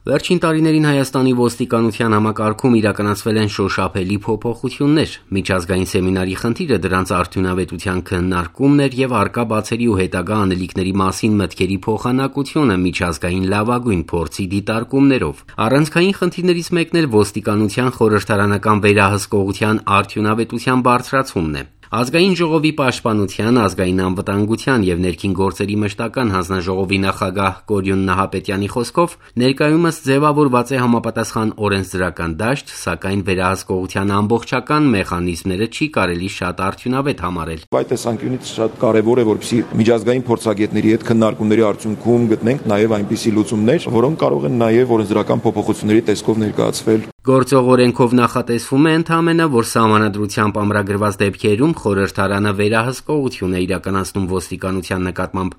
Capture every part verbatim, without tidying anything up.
Վերջին տարիներին Հայաստանի ոստիկանության համակարգում իրականացվել են շոշափելի փոփոխություններ։ Միջազգային սեմինարի խնդիրը դրանց արդյունավետության քննարկումն էր եւ առկա բացերի ու հետագա անելիքների մասին մտքերի փոխանակությունը միջազգային լավագույն փորձի դիտարկումներով։ Առանցքային խնդիրներից մեկն էլ ոստիկանության խորհրդարանական վերահսկողության արդյունավետության բարձրացումն է։ Ազգային ժողովի պաշտպանության, ազգային անվտանգության եւ ներքին գործերի մշտական հանձնաժողովի նախագահ Կորյուն Նահապետյանի խոսքով ներկայումս ձևավորված է համապատասխան օրենսդրական դաշտ, սակայն վերահսկողության ամբողջական մեխանիզմները չի կարելի շատ արդյունավետ համարել։ Այդ տեսանկյունից շատ կարևոր է, որպեսզի միջազգային փորձագետների հետ քննարկումների արդյունքում գտնենք նաեւ այնպիսի լուծումներ, որոնք կարող են նաեւ օրենսդրական փոփոխությունների տեսքով ներկայացվել։ Գործող օրենքով նախատեսվում է ընդհանրապես, որ սահմանադրությամբ ամրագրված դեպքերում խորհրդարանը վերահսկողություն է իրականացնում ոստիկանության նկատմամբ,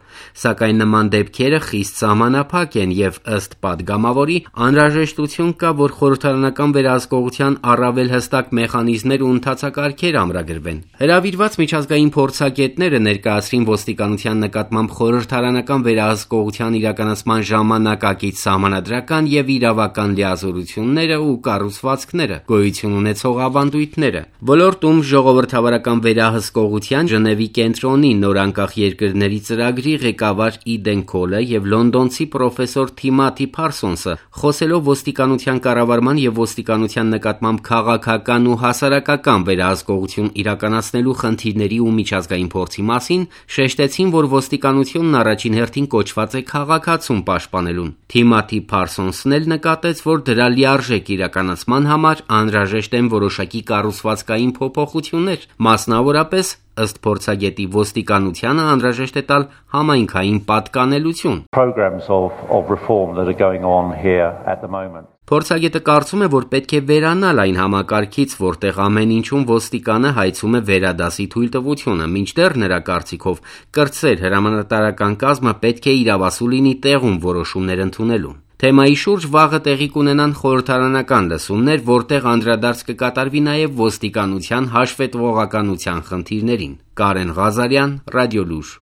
սակայն նման դեպքերը խիստ սահմանափակ են եւ ըստ падգամավորի անհրաժեշտություն կա, որ խորհրդարանական վերահսկողության առավել հստակ մեխանիզմներ ու ընթացակարգեր ամրագրվեն։ Հրավիրված միջազգային փորձագետները ներկայացրին ոստիկանության նկատմամբ խորհրդարանական վերահսկողության իրականացման ժամանակակից սահմանադրական եւ իրավական լիազորությունները ու կառուցվածքները, գոյություն ունեցող ավանդույթները։ Ոլորտում ժողովրդավարական վերահսկողության Ժնևի կենտրոնի նորանկախ երկրների ծրագրի ղեկավար Իդեն Քոլը եւ լոնդոնցի պրոֆեսոր Թիմաթի Փարսոնսը խոսելով ոստիկանության կառավարման եւ ոստիկանության նկատմամբ քաղաքական ու հասարակական վերահսկողություն իրականացնելու խնդիրների ու միջազգային փորձի մասին, շեշտեցին, որ ոստիկանությունն առաջին հերթին կոչված է քաղաքացուն պաշտպանելուն։ Թիմաթի Փարսոնսն էլ նկատեց, որ դրա լիարժեք իրականացման համար անհրաժեշտ են որոշակի կառուցվածքային փոփոխություններ, մասնավորապես ըստ փորձագետի ոստիկանությանը անհրաժեշտ է տալ համայնքային պատկանելություն։ Փորձագետը կարծում է, որ պետք է վերանալ այն համակարգից, որտեղ ամեն ինչում ոստիկանը հայցում է վերադասի թույլտվությունը, մինչդեռ նրա կարծիքով կրտսեր հրամանատարական կազմը պետք է իրավասու լինի տեղում որոշումներ ընդունելու։ Թեմայի շուրջ վաղը տեղի կունենան խորհրդարանական լսումներ, որտեղ անդրադարձ կկատարվի նաև ոստիկանության հաշվետվողականության խնդիրներին։ Կարեն Ղազարյան, Ռադիոլուր։